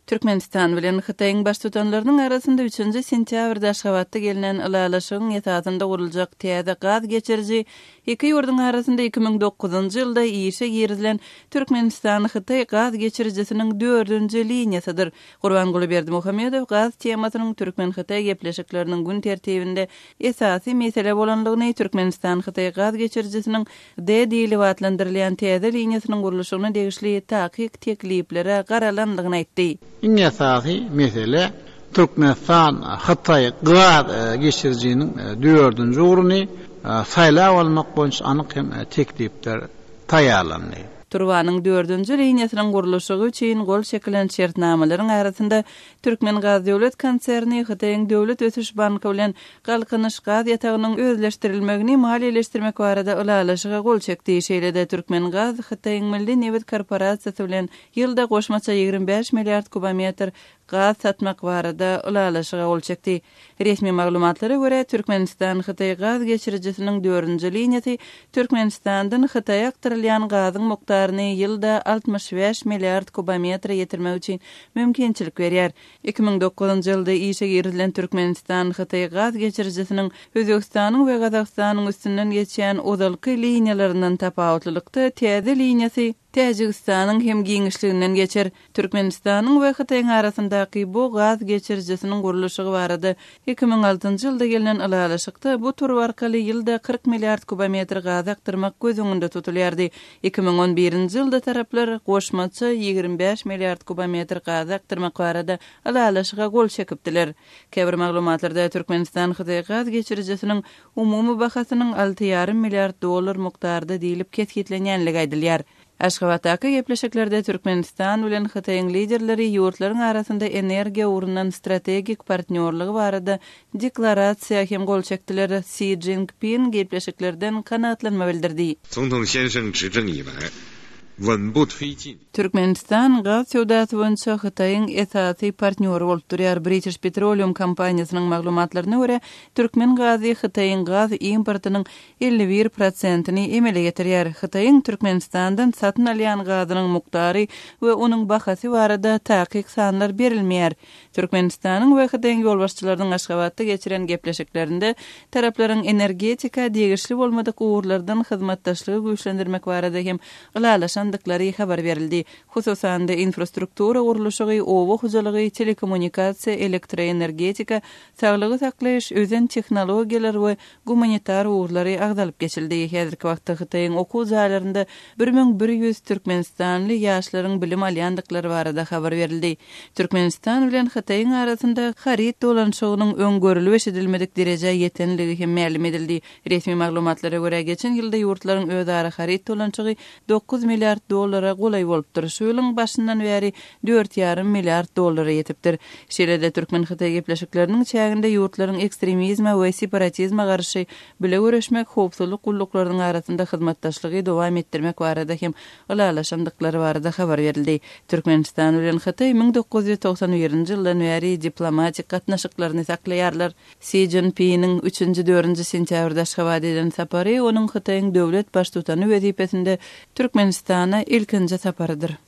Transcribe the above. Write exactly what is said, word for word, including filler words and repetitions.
Türkmenistan bilen Hytaýyň baştutanlarynyň arasynda üçünji sentýabrda Aşgabatda gelnen ylalaşygyň esasynda guruljak täze gaz geçiriji iki ýurduň arasynda iki müň dokuzynjy ýylda işe girizilen Türkmenistan-Hytaý gaz geçirijisiniň dördünji liniýasydyr. Gurbanguly Berdimuhamedow gaz temasynyň türkmen-hytaý gepleşikleriniň gün tertibinde esasy mesele bolanlygyny, Türkmenistan-Hytaý gaz geçirijisiniň D diýlip atlandyrylýan täze liniýasynyň gurluşygyna degişli takyk tekliplere garalanlygyny aýtdy. Iň esasy mesele Türkmenistan-Hytaý gaz geçirijiniň dördünji ugruny saýlap almak boýunça anyk hem teklipler taýýarlandy. Turbanyň dördünji liniýasynyň gurluşygy üçin gol çekilen şertnamalaryň arasynda Türkmengaz döwlet konserni Hytaýyň döwlet ösüş banky bilen Galkynyş gaz ýatagynyň özleşdirilmegini maliýeleşdirmek barada ylalaşyga gol çekdi. Şeýle-de Türkmengaz Hytaýyň Milli nebit korporasiýasy bilen ýylda goşmaça ýigrimi bäş milliard kubometr gaz satmak barada ylalaşyga gol çekdi. Resmi maglumatlara görä, Türkmenistan-Hytaý gaz geçirijisiniň dördünji liniýasy Türkmenistandan Hytaýa akdyrylýan gazyň mukdaryny ýylda altmyş bäş milliard kubometre ýetirmek üçin mümkinçilik berýär. Iki müň dokuzynjy ýylda işe girizilen Türkmenistan-Hytaý gaz geçirijisiniň Özbegistanyň we Gazagystanyň üstünden geçýän ozalky liniýalaryndan tapawutlylykda täze liniýasy Täjigistanyň hem giňişliginden geçer. Türkmenistanyň we Hytaýyň arasyndaky bu gaz geçirijisiniň gurluşygy barada iki müň altynjy ýylda gelnen ylalaşykda bu turba arkaly ýylda kyrk milliard kubometr gaz akdyrmak göz öňünde tutulýardy. Iki müň on birinji ýylda taraplar goşmaça ýigrimi bäş milliard kubometr gaz akdyrmak barada ylalaşyga gol çekipdiler. Käbir maglumatlarda Türkmenistan-Hytaý gaz geçirijisiniň umumy bahasynyň alty ýarym milliard dollar mukdarda diýlip kesgitlenýänligi aýdylýar. Aşgabatdaky gepleşiklerde Türkmenistan bilen Hytaýyň liderleri ýurtlaryň arasynda energiýa ugrundan strategik partnýorlygy barada deklarasiýa hem gol çekdiler. Si Jinping gepleşiklerden kanagatlanma bildirdi. Türkmenistan gaz söwdasy boýunça Hytaýyň esasy partnýory bolup durýar. British Petroleum kompaniýasynyň maglumatlaryna görä, türkmen gazy Hytaýyň gaz importynyň elli bir prosentini emele getirýär. Hytaýyň Türkmenistandan satyn alýan gazynyň mukdary we onuň bahasy barada takyk sanlar berilmeýär. Türkmenistanyň we Hytaýyň ýolbaşçylarynyň Aşgabatda geçiren gepleşiklerinde taraplaryň energetika degişli bolmadyk ugurlardan hyzmatdaşlygy güýçlendirmek barada hem ylalaşandyklary habar berildi. Hususan-da infrastruktura gurluşygy, oba hojalygy, telekommunikasiýa, elektroenergetika, saglygy saklaýyş, özen tehnologiýalar we gumanitar ugurlary agzalyp geçildi. Häzirki wagtda Hytaýyň okuw jaýlarynda bir müň bir ýüz türkmenistanly ýaşlaryň bilim alýandyklary barada habar berildi. Türkmenistan bilen Hytaýyň arasynda haryt dolanyşygynyň öň görülip eşidilmedik derejä ýetenligi hem mälim edildi. Resmi maglumatlara görä, geçen ýylda ýurtlaryň özara haryt dolanyşygy dokuz milliard dollara golaý bolupdyr. Şu ýylyň başyndan bäri dört ýarym milliard dollara ýetipdir. Şeýle-de türkmen-hytaý gepleşikleriniň çäginde ýurtlaryň ekstremizme we separatizme garşy bile göreşmek, howpsuzlyk gulluklarynyň arasynda hyzmatdaşlygy dowam etdirmek barada hem ylalaşandyklary barada habar berildi. Türkmenistan bilen Hytaý müň dokuz ýüz togsan birinji ýyldan bäri diplomatik gatnaşyklaryny saklaýarlar. Si Jinpiniň üçünji, dördünji sentýabrda Aşgabada eden sapary onuň Hytaýyň döwlet baştutany wezipesinde Türkmenistana ilkinji saparydyr.